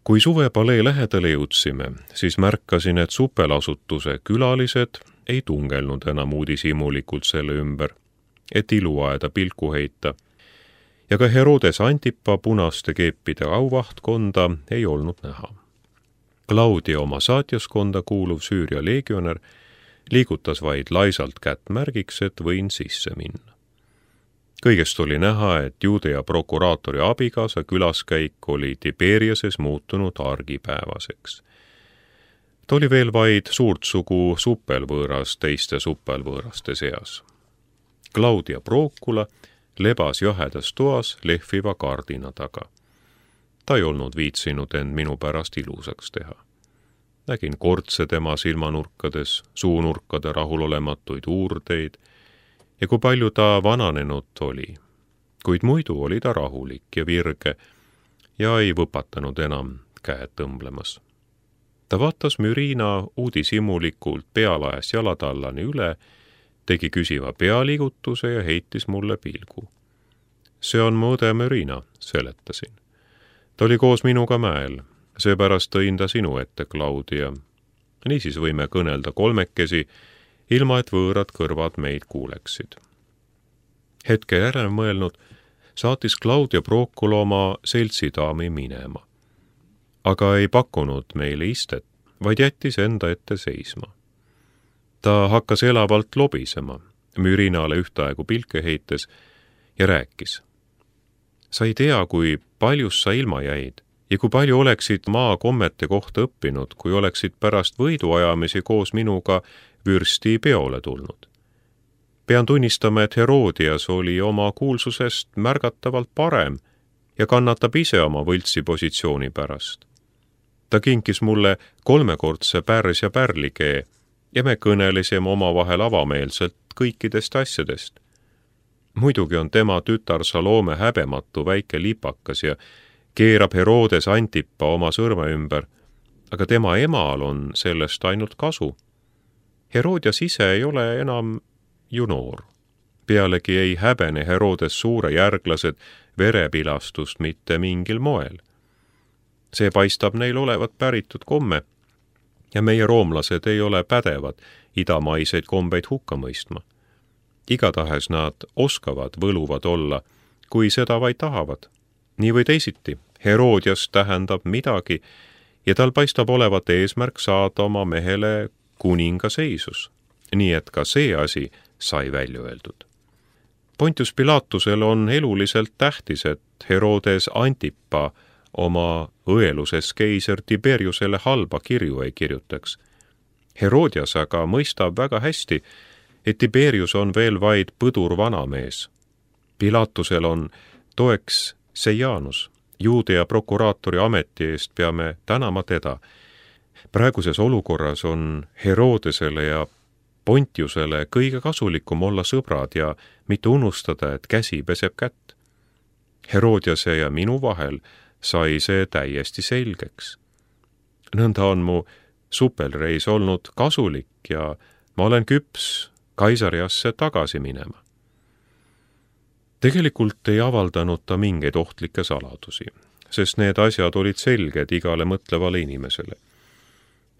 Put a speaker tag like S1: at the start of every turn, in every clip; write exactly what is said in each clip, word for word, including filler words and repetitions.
S1: Kui suvepalee lähedale jõudsime, siis märkasin, et supelasutuse külalised ei tungelnud enam uudishimulikult selle ümber, et iluaeda pilku heita, ja ka Herodes Antipa punaste keepide auvahtkonda ei olnud näha. Claudia oma saatjaskonda kuuluv Süüria leegionär liigutas vaid laisalt kätt märgiks, et võin sisse minna. Kõigest oli näha, et Juudea prokuraatori abikaasa külaskäik oli Tiberiases muutunud argipäevaseks. Ta oli veel vaid suurt sugu suppelvõõras teiste suppelvõõraste seas. Claudia Procula lebas jahedas toas lehviva kardina taga. Ta ei olnud viitsinud end minu pärast ilusaks teha. Nägin kortse tema silmanurkades, suunurkade rahulolematuid uurdeid ja kui palju ta vananenud oli. Kuid muidu oli ta rahulik ja virge ja ei võpatanud enam käed tõmblemas. Ta vaatas Mürina uudishimulikult pealaes jalatallani üle, tegi küsiva pealiigutuse ja heitis mulle pilgu. See on mu õde Mürina, seletasin. Ta oli koos minuga mäel, seepärast tõin ta sinu ette, Claudia. Niisiis võime kõnelda kolmekesi, ilma et võõrad kõrvad meid kuuleksid. Hetke järel mõelnud, saatis Claudia Procula oma seltsidaami minema. Aga ei pakkunud meile istet, vaid jättis enda ette seisma. Ta hakkas elavalt lobisema, Mürinale ühtaegu pilke heites ja rääkis. Sa ei tea, kui paljus sa ilma jäid ja kui palju oleksid maa kommete kohta õppinud, kui oleksid pärast võiduajamisi koos minuga vürsti peole tulnud. Pean tunnistama, et Herodias oli oma kuulsusest märgatavalt parem ja kannatab ise oma võltsi positsiooni pärast. Ta kinkis mulle kolmekordse pärs ja pärlikee ja me kõnelesime omavahel avameelselt kõikidest asjadest. Muidugi on tema tütar Salome häbematu väike lipakas ja keerab Herodes Antipa oma sõrme ümber, aga tema emal on sellest ainult kasu. Herodias ise ei ole enam ju noor. Pealegi ei häbene Herodes suure järglased verepilastust mitte mingil moel. See paistab neil olevat päritud komme ja meie roomlased ei ole pädevad idamaiseid kombeid hukka mõistma. Igatahes nad oskavad võluvad olla, kui seda vaid tahavad. Nii või teisiti, Herodias tähendab midagi ja tal paistab olevat eesmärk saada oma mehele kuninga seisus, nii et ka see asi sai välja öeldud. Pontius Pilatusel on eluliselt tähtis, et Herodes Antipa oma õeluses keiser Tiberiusele halba kirju ei kirjutaks. Herodias aga mõistab väga hästi, et Tiberius on veel vaid põdur vanamees. Pilatusel on toeks Seijanus, Juudea prokuraatori ameti eest peame tänama teda. Praeguses olukorras on Herodesele ja Pontiusele kõige kasulikum olla sõbrad ja mitte unustada, et käsi peseb kätt. Herodiase ja minu vahel sai see täiesti selgeks. Nõnda on mu supelreis olnud kasulik ja ma olen küps Kaisariasse tagasi minema. Tegelikult ei avaldanud ta mingeid ohtlikke saladusi, sest need asjad olid selged igale mõtlevale inimesele.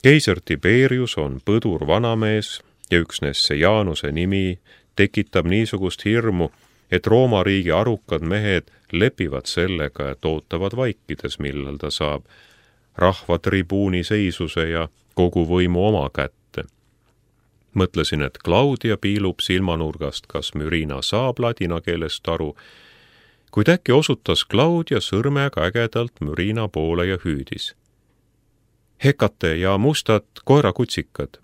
S1: Keiser Tiberius on põdur vanamees ja üksnes Seijanuse nimi tekitab niisugust hirmu, et Rooma riigi arukad mehed lepivad sellega, et ootavad vaikides, millal ta saab rahva tribuuni seisuse ja kogu võimu oma kätte. Mõtlesin, et Claudia piilub silmanurgast, kas Mürina saab ladina keelest aru, kuid äkki osutas Claudia sõrmega ägedalt Mürina poole ja hüüdis. Hekate ja mustad koerakutsikad,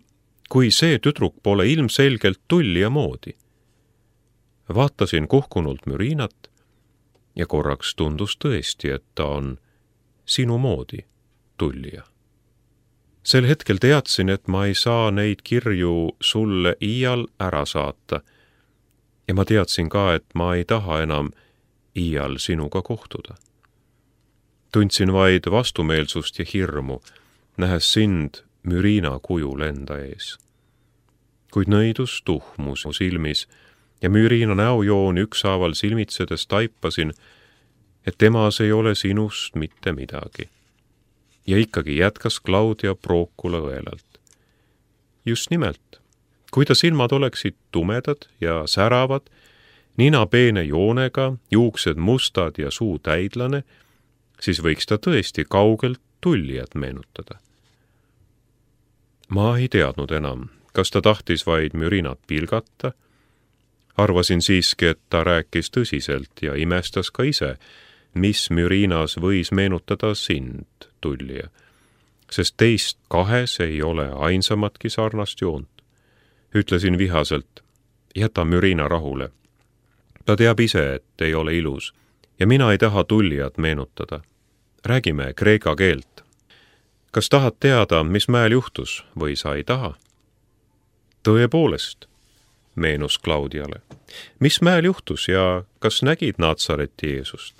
S1: kui see tüdruk pole ilmselgelt tullija moodi. Vaatasin kuhkunult Mürinat ja korraks tundus tõesti, et ta on sinu moodi tullija. Sel hetkel teadsin, et ma ei saa neid kirju sulle iial ära saata ja ma teadsin ka, et ma ei taha enam iial sinuga kohtuda. Tundsin vaid vastumeelsust ja hirmu, nähes sind Mürina kujul enda ees. Kuid nõidus tuhmus mu silmis ja Mürina näojooni ükshaaval silmitsedes taipasin, et temas ei ole sinust mitte midagi. ja ikkagi jätkas Claudia Procula õelalt. Just nimelt, kui ta silmad oleksid tumedad ja säravad, nina peene joonega, juuksed mustad ja suu täidlane, siis võiks ta tõesti kaugelt tullijat meenutada. Ma ei teadnud enam, kas ta tahtis vaid mürinat pilgata. Arvasin siiski, et ta rääkis tõsiselt ja imestas ka ise, mis mürinas võis meenutada sind, tullija, sest teist kahes ei ole ainsamatki sarnast joont. Ütlesin vihaselt, jäta mürina rahule. Ta teab ise, et ei ole ilus ja mina ei taha tullijat meenutada. Räägime kreeka keelt. Kas tahad teada, mis mäel juhtus või sa ei taha? Tõepoolest, meenus Claudiale. Mis mäel juhtus ja kas nägid Natsareti Jeesust?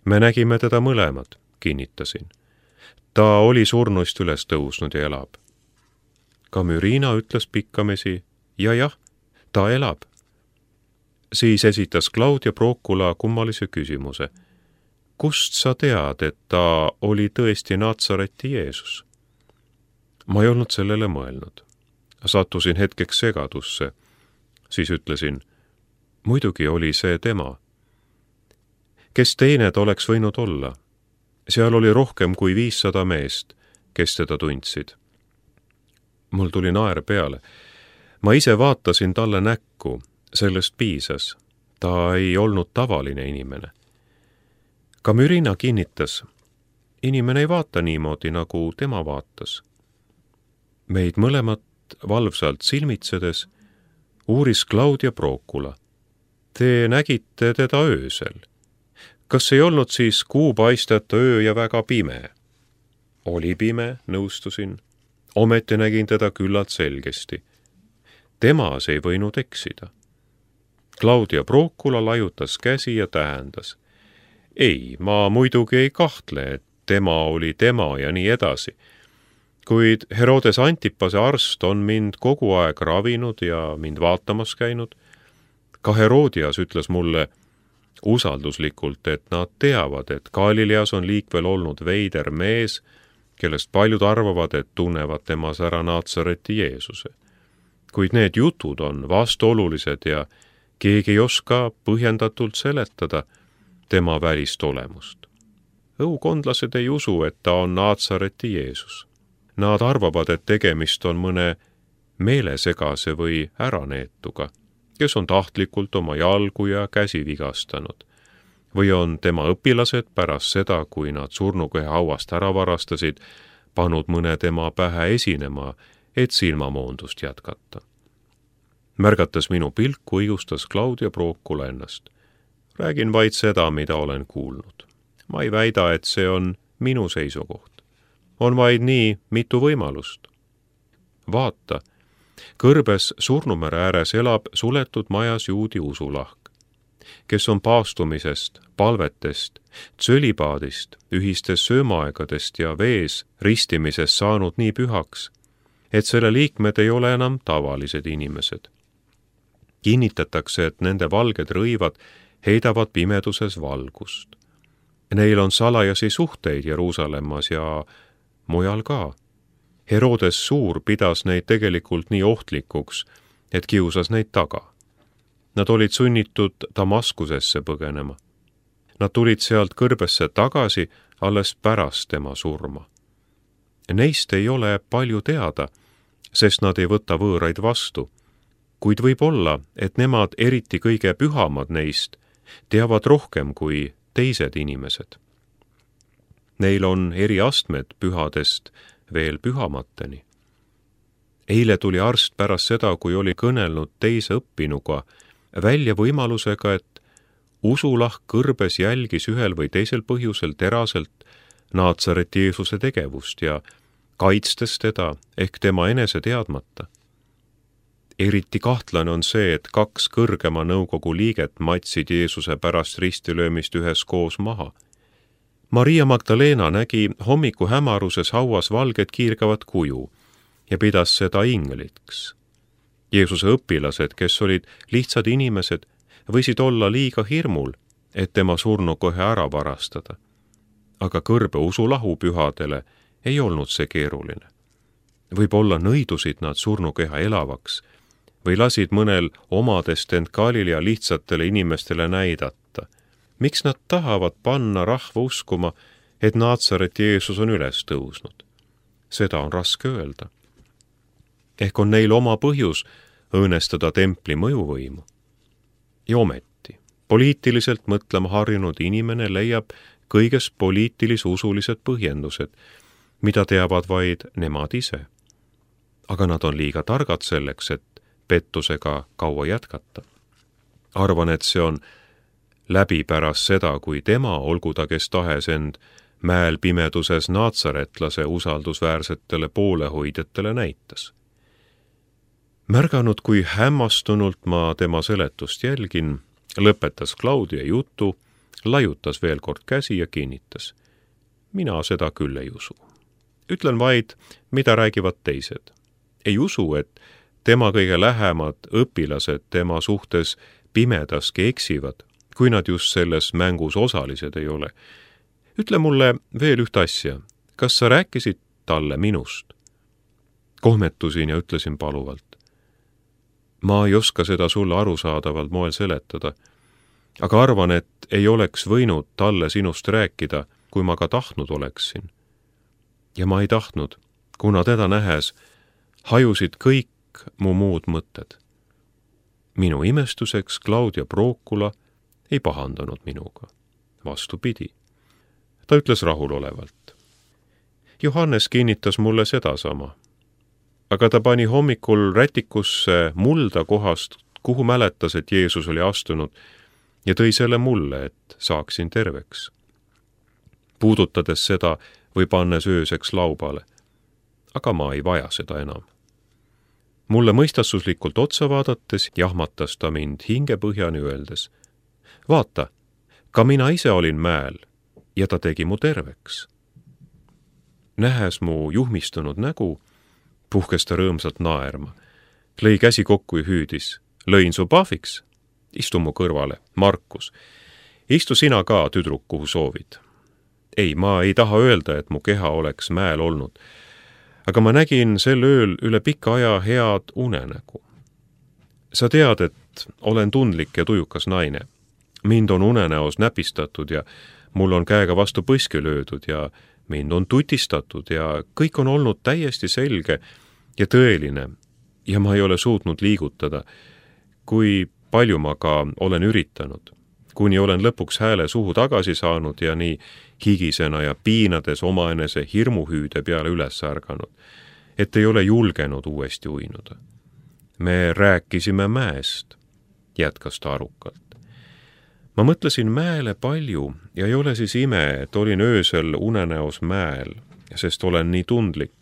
S1: Me nägime teda mõlemad, kinnitasin. Ta oli surnuist üles tõusnud ja elab. Ka Mürina ütles pikkamisi, ja jah, ta elab. Siis esitas Claudia Procula kummalise küsimuse. Kust sa tead, et ta oli tõesti Natsareti Jeesus? Ma ei olnud sellele mõelnud. Sattusin hetkeks segadusse. Siis ütlesin, muidugi oli see tema. Kes teine ta oleks võinud olla? Seal oli rohkem kui viissada meest, kes teda tundsid. Mul tuli naer peale. Ma ise vaatasin talle näkku, sellest piisas. Ta ei olnud tavaline inimene. Ka Mürina kinnitas, inimene ei vaata niimoodi, nagu tema vaatas. Meid mõlemat valvsalt silmitsedes uuris Claudia Procula. Te nägite teda öösel. Kas ei olnud siis kuu paisteta öö ja väga pime? Oli pime, nõustusin. Ometi nägin teda küllalt selgesti. Temas ei võinud eksida. Claudia Procula laiutas käsi ja tähendas. Ei, ma muidugi ei kahtle, et tema oli tema ja nii edasi. Kuid Herodes Antipase arst on mind kogu aeg ravinud ja mind vaatamas käinud. Ka Herodias ütles mulle usalduslikult, et nad teavad, et Galileas on liikvel olnud veider mees, kellest paljud arvavad, et tunnevad temas ära Natsareti Jeesuse. Kuid need jutud on vastuolulised ja keegi ei oska põhjendatult seletada tema välist olemust. Õukondlased ei usu, et ta on Natsareti Jeesus. Nad arvavad, et tegemist on mõne meelesegase või äraneetuga, kes on tahtlikult oma jalgu ja käsi vigastanud. Või on tema õpilased pärast seda, kui nad surnukehe hauast ära varastasid, pannud mõne tema pähe esinema, et silmamoondust jätkata. Märgates minu pilku, õigustas Claudia Procula ennast. Räägin vaid seda, mida olen kuulnud. Ma ei väida, et see on minu seisukoht. On vaid nii mitu võimalust. Vaata, kõrbes Surnumere ääres elab suletud majas juudi usulahk, kes on paastumisest, palvetest, tsölipaadist, ühistest söömaaegadest ja vees ristimisest saanud nii pühaks, et selle liikmed ei ole enam tavalised inimesed. Kinnitatakse, et nende valged rõivad heidavad pimeduses valgust. Neil on salajasi suhteid Jeruusalemmas ja mujal ka. Herodes Suur pidas neid tegelikult nii ohtlikuks, et kiusas neid taga. Nad olid sunnitud Damaskusesse põgenema. Nad tulid sealt kõrbesse tagasi alles pärast tema surma. Neist ei ole palju teada, sest nad ei võta võõraid vastu, kuid võib olla, et nemad eriti kõige pühamad neist teavad rohkem kui teised inimesed. Neil on eri astmed pühadest veel pühamateni. Eile tuli arst pärast seda, kui oli kõnelnud teise õppinuga, välja võimalusega, et usulahk kõrbes jälgis ühel või teisel põhjusel teraselt Natsareti Jeesuse tegevust ja kaitstes teda ehk tema enese teadmata. Eriti kahtlane on see, et kaks kõrgema nõukogu liiget matsid Jeesuse pärast ristilöömist üheskoos maha. Maria Magdalena nägi hommiku hämaruses hauas valget kiirgavat kuju ja pidas seda ingliks. Jeesuse õpilased, kes olid lihtsad inimesed, võisid olla liiga hirmul, et tema surnu kohe ära varastada. aga kõrbe usulahu pühadele ei olnud see keeruline. Võib-olla nõidusid nad surnukeha elavaks või lasid mõnel omadest end Galilea lihtsatele inimestele näidata. Miks nad tahavad panna rahva uskuma, et Naatsareti Jeesus on üles tõusnud? Seda on raske öelda. Ehk on neil oma põhjus õõnestada templi mõjuvõimu. Ja ometi, poliitiliselt mõtlema harjunud inimene leiab kõiges poliitilis-usulised põhjendused, mida teavad vaid nemad ise. Aga nad on liiga targad selleks, et pettusega kaua jätkata. Arvan, et see on läbi pärast seda, kui tema, olgu ta kes tahes end mäel pimeduses naatsaretlase usaldusväärsetele poolehoidjatele näitas. Märganud, kui hämmastunult ma tema seletust jälgin, lõpetas Claudia jutu, laiutas veel kord käsi ja kinnitas. Mina seda küll ei usu. Ütlen vaid, mida räägivad teised. Ei usu, et tema kõige lähemad õpilased tema suhtes pimedaski eksivad, kui nad just selles mängus osalised ei ole. Ütle mulle veel üht asja. Kas sa rääkisid talle minust? Kohmetusin ja ütlesin paluvalt. Ma ei oska seda sulle arusaadavalt moel seletada, aga arvan, et ei oleks võinud talle sinust rääkida, kui ma ka tahtnud oleksin. Ja ma ei tahtnud, kuna teda nähes hajusid kõik mu muud mõtted. Minu imestuseks Claudia Procula ei pahandanud minuga. Vastupidi. Ta ütles rahulolevalt. Johannes kinnitas mulle sedasama. Aga ta pani hommikul rätikusse mulda kohast, kuhu mäletas, et Jeesus oli astunud, ja tõi selle mulle, et saaksin terveks. Puudutades seda või pannes ööseks laubale. Aga ma ei vaja seda enam. Mulle mõistastuslikult otsa vaadates jahmatas ta mind hingepõhjani öeldes. Vaata, ka mina ise olin mäel ja ta tegi mu terveks. Nähes mu juhmistunud nägu, puhkes ta rõõmsalt naerma. Lõi käsi kokku ja hüüdis. Lõin su pahviks. Istu mu kõrvale, Markus. Istu sina ka, tüdruk, kuhu soovid. Ei, ma ei taha öelda, et mu keha oleks mäel olnud. Aga ma nägin sel ööl üle pika aja head unenägu. Sa tead, et olen tundlik ja tujukas naine. Mind on unenäos näpistatud ja mul on käega vastu põski löödud ja mind on tutistatud ja kõik on olnud täiesti selge ja tõeline ja ma ei ole suutnud liigutada, kui palju ma ka olen üritanud, kuni olen lõpuks hääle suhu tagasi saanud ja nii higisena ja piinades omaenese hirmuhüüde peale üles ärganud, et ei ole julgenud uuesti uinuda. Me rääkisime mäest, jätkas ta arukalt. Ma mõtlesin mäele palju ja ei ole siis ime, et olin öösel unenäos mäel, sest olen nii tundlik.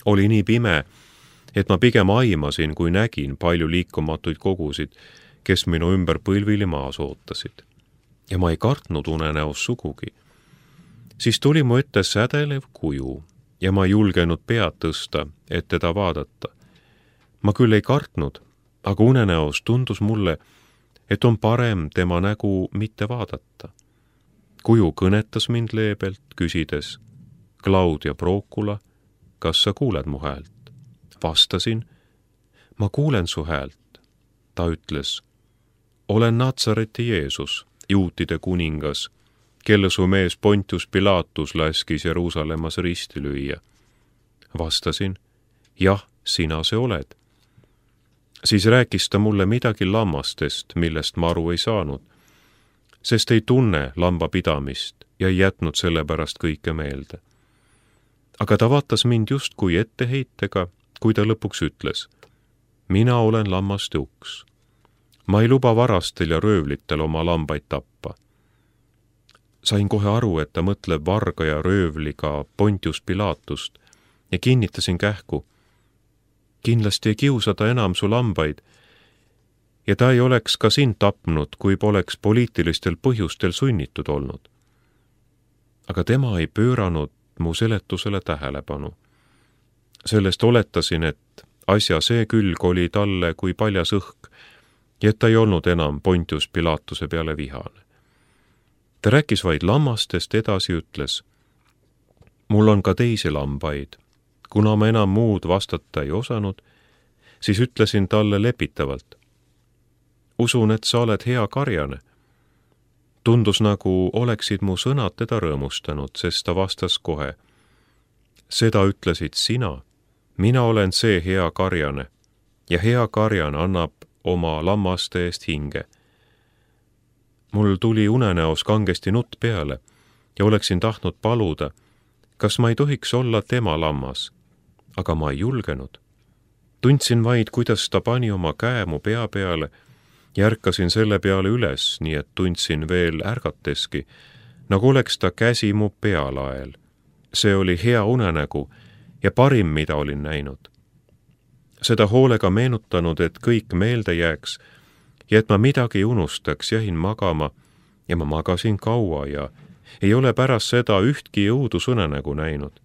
S1: Oli nii pime, et ma pigem aimasin, kui nägin palju liikumatuid kogusid, kes minu ümber põlvili maas ootasid. Ja ma ei kartnud unenäos sugugi. Siis tuli mu ette sädelev kuju ja ma ei julgenud pead tõsta, et teda vaadata. Ma küll ei kartnud, aga unenäos tundus mulle, et on parem tema nägu mitte vaadata. Kuju kõnetas mind leebelt, küsides, Claudia Procula, kas sa kuuled mu häält? Vastasin, ma kuulen su häält. Ta ütles, olen Naatsareti Jeesus, juutide kuningas, kelle su mees Pontius Pilatus laskis Jeruusalemmas risti lüüa. Vastasin, jah, sina see oled. Siis rääkis ta mulle midagi lammastest, millest ma aru ei saanud, sest ei tunne lambapidamist ja ei jätnud sellepärast kõike meelde. Aga ta vaatas mind just kui etteheitega, kui ta lõpuks ütles, mina olen lammaste uks. Ma ei luba varastel ja röövlitel oma lambaid tappa. Sain kohe aru, et ta mõtleb varga ja röövliga Pontius Pilatust ja kinnitasin kähku. Kindlasti ei kiusata enam su lambaid ja ta ei oleks ka sind tapnud, kui poleks poliitilistel põhjustel sunnitud olnud. Aga tema ei pööranud mu seletusele tähelepanu. Sellest oletasin, et asja see külg oli talle kui paljas õhk ja et ta ei olnud enam Pontius Pilatuse peale vihane. ta rääkis vaid lammastest, edasi ütles: mul on ka teisi lambaid. Kuna ma enam muud vastata ei osanud, siis ütlesin talle lepitavalt: usun, et sa oled hea karjane. Tundus, nagu oleksid mu sõnad teda rõõmustanud, sest ta vastas kohe: seda ütlesid sina, mina olen see hea karjane ja hea karjane annab oma lammaste eest hinge. Mul tuli unenäos kangesti nutt peale ja oleksin tahtnud paluda, kas ma ei tohiks olla tema lammas, aga ma ei julgenud. Tundsin vaid, kuidas ta pani oma käe mu pea peale ja ärkasin selle peale üles, nii et tundsin veel ärgateski, nagu oleks ta käsi mu pealael. See oli hea unenägu ja parim, mida olin näinud. Seda hoolega meenutanud, et kõik meelde jääks ja et ma midagi ei unustaks, jäin magama ja ma magasin kaua ja ei ole pärast seda ühtki õudusunenägu näinud.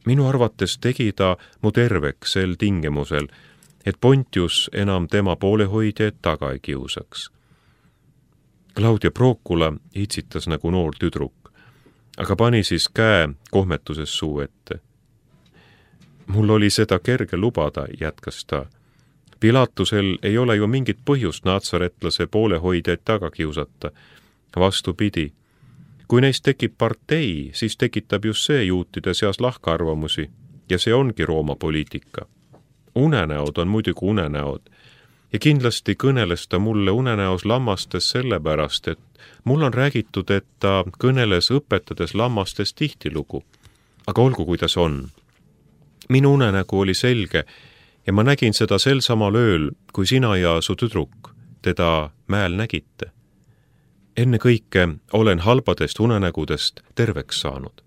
S1: Minu arvates tegi ta mu terveks sel tingimusel, et Pontius enam tema poolehoidjaid taga ei kiusaks. Claudia Procula itsitas nagu noor tüdruk, aga pani siis käe kohmetuses suu ette. Mul oli seda kerge lubada, jätkas ta. Pilatusel ei ole ju mingit põhjust natsaretlase poolehoidjaid taga kiusata. Vastupidi, kui neist tekib partei, siis tekitab just see juutide seas lahkarvamusi ja see ongi Rooma poliitika. Unenäod on muidugi unenäod ja kindlasti kõneles ta mulle unenäos lammastes sellepärast, et mul on räägitud, et ta kõneles õpetades lammastest tihtilugu. Aga olgu, kuidas on. Minu unenägu oli selge ja ma nägin seda sel samal ööl, kui sina ja su tüdruk teda mäel nägite. Enne kõike olen halbadest unenägudest terveks saanud.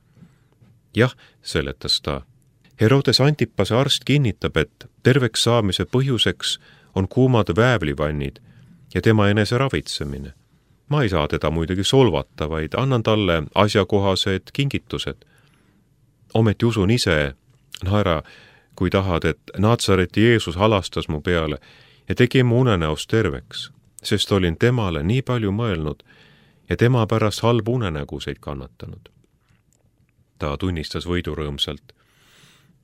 S1: Jah, seletas ta. Herodes Antipase arst kinnitab, et terveks saamise põhjuseks on kuumad väävlivannid ja tema enese ravitsemine. Ma ei saa teda muidugi solvata, vaid annan talle asjakohased kingitused. Ometi usun ise, naera, kui tahad, et Natsareti Jeesus halastas mu peale ja tegi mu unenäos terveks, sest olin temale nii palju mõelnud ja tema pärast halbu unenäguseid kannatanud. Ta tunnistas võidurõõmsalt.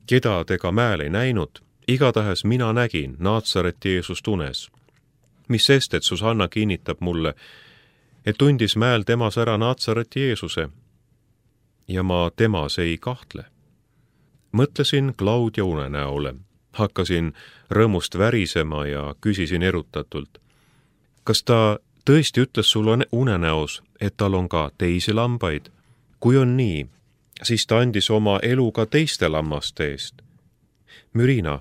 S1: Keda te ka mäel ei näinud, igatahes mina nägin Natsareti Jeesust unes. Mis sest, et Susanna kinnitab mulle, et tundis mäel temas ära Natsareti Jeesuse ja ma temas ei kahtle. Mõtlesin Claudia unenäole, hakkasin rõõmust värisema ja küsisin erutatult. Kas ta tõesti ütles sulle unenäos, et tal on ka teisi lambaid? Kui on nii, siis ta andis oma elu ka teiste lammaste eest. Mürina,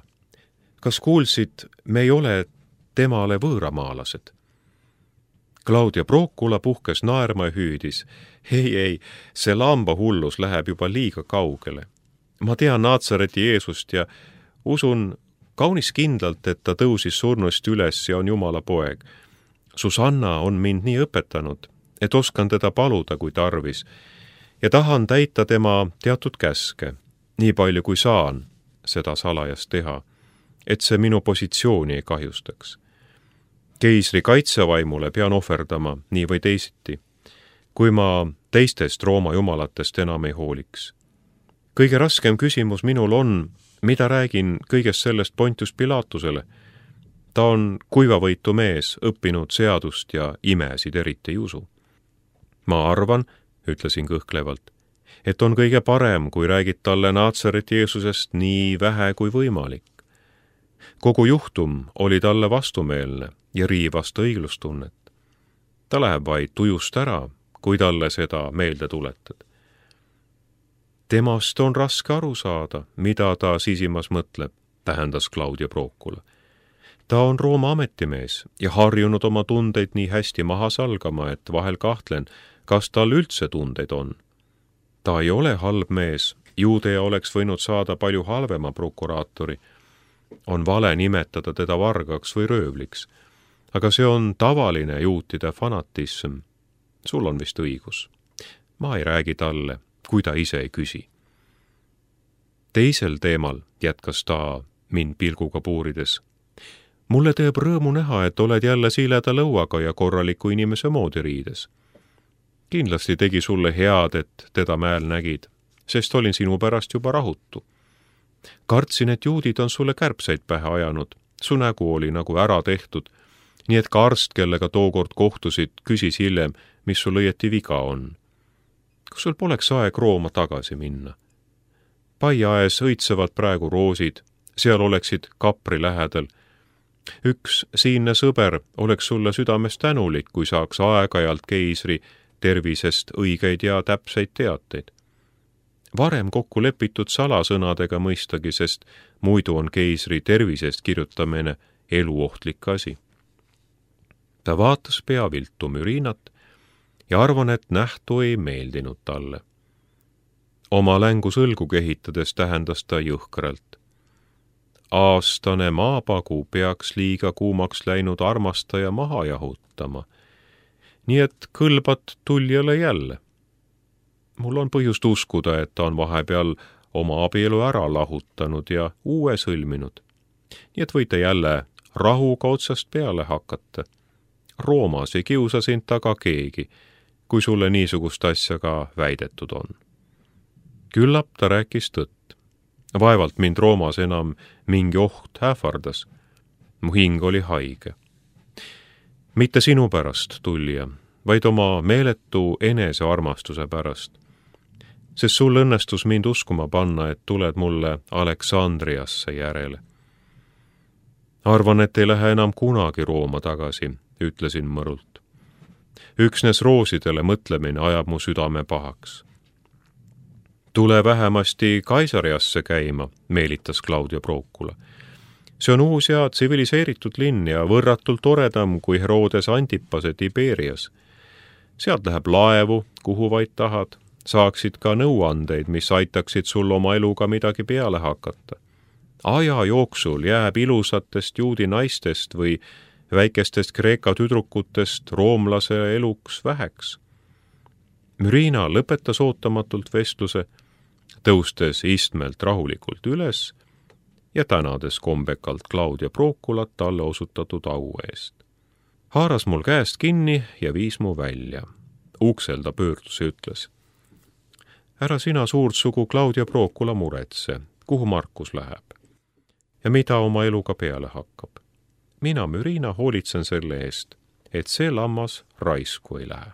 S1: kas kuulsid, me ei ole temale võõramaalased? Claudia Procula puhkes naerma ja hüüdis. Ei, ei, see lambahullus läheb juba liiga kaugele. Ma tean Natsareti Jeesust ja usun kaunis kindlalt, et ta tõusis surnust üles ja on Jumala poeg. Susanna on mind nii õpetanud, et oskan teda paluda, kui tarvis, ja tahan täita tema teatud käske, nii palju kui saan seda salajas teha, et see minu positsiooni ei kahjustaks. Keisri kaitsevaimule pean ohverdama nii või teisiti, kui ma teistest Rooma jumalatest enam ei hooliks. Kõige raskem küsimus minul on, mida räägin kõigest sellest Pontius Pilatusele. Ta on kuivavõitu mees, õppinud seadust ja imesid eriti ei usu. Ma arvan, ütlesin kõhklevalt, et on kõige parem, kui räägid talle Natsareti Jeesusest nii vähe kui võimalik. Kogu juhtum oli talle vastumeelne ja riivas ta õiglustunnet. Ta läheb vaid tujust ära, kui talle seda meelde tuletad. Temast on raske aru saada, mida ta sisimas mõtleb, tähendas Claudia Procula. Ta on Rooma ametimees ja harjunud oma tundeid nii hästi maha salgama, et vahel kahtlen, kas tal üldse tundeid on. Ta ei ole halb mees, Juudea oleks võinud saada palju halvema prokuraatori. On vale nimetada teda vargaks või röövliks, aga see on tavaline juutide fanatism. Sul on vist õigus. Ma ei räägi talle, kui ta ise ei küsi. Teisel teemal jätkas ta mind pilguga puurides. Mulle teeb rõõmu näha, et oled jälle siileda lõuaga ja korraliku inimese moodi riides. kindlasti tegi sulle head, et teda mäel nägid, sest olin sinu pärast juba rahutu. Kartsin, et juudid on sulle kärbseid pähe ajanud, su nägu oli nagu ära tehtud, nii et ka arst, kellega tookord kohtusid, küsis hiljem, mis sul õieti viga on. Kas sul poleks aeg Rooma tagasi minna? Paiaes õitsevad praegu roosid, seal oleksid Kapri lähedal. Üks siinne sõber oleks sulle südames tänulik, kui saaks aeg-ajalt keisri tervisest õigeid ja täpseid teateid. Varem kokku lepitud salasõnadega mõistagi, sest muidu on keisri tervisest kirjutamine eluohtlik asi. Ta vaatas pea viltu mürinat ja arvan, et nähtu ei meeldinud talle. Oma längu sõlgu kehitades tähendas ta jõhkralt. Aastane maapagu peaks liiga kuumaks läinud armastaja maha jahutama, nii et kõlbad tuljale jälle. Mul on põhjust uskuda, et ta on vahepeal oma abielu ära lahutanud ja uue sõlminud. Nii et võite jälle rahuga otsast peale hakata. Roomas ei kiusa sind taga keegi, kui sulle niisugust asja ka väidetud on. Küllap ta rääkis tõtt. Vaevalt mind Roomas enam mingi oht ähvardas. Mu hing oli haige. Mitte sinu pärast, tulija, vaid oma meeletu enesearmastuse pärast. Sest sul õnnestus mind uskuma panna, et tuled mulle Aleksandriasse järele. Arvan, et ei lähe enam kunagi Rooma tagasi, ütlesin mõrult. Üksnes roosidele mõtlemine ajab mu südame pahaks. Tule vähemasti Kaisariasse käima, meelitas Claudia Procula. See on uus ja tsiviliseeritud linn ja võrratult toredam kui Herodes Antipase Tiberias. Sealt läheb laevu, kuhu vaid tahad, saaksid ka nõuandeid, mis aitaksid sul oma eluga midagi peale hakata. Aja jooksul jääb ilusatest juudi naistest või väikestest Kreeka tüdrukutest roomlase eluks väheks. Mürina lõpetas ootamatult vestluse, tõustes istmelt rahulikult üles ja tänades kombekalt Claudia Proculat talle osutatud au eest. Haaras mul käest kinni ja viis mu välja. Uksel ta pöördus ja ütles: ära sina suurt sugu Claudia Procula muretse, kuhu Markus läheb ja mida oma eluga peale hakkab. Mina, Mürina, hoolitsen selle eest, et see lammas raisku ei lähe.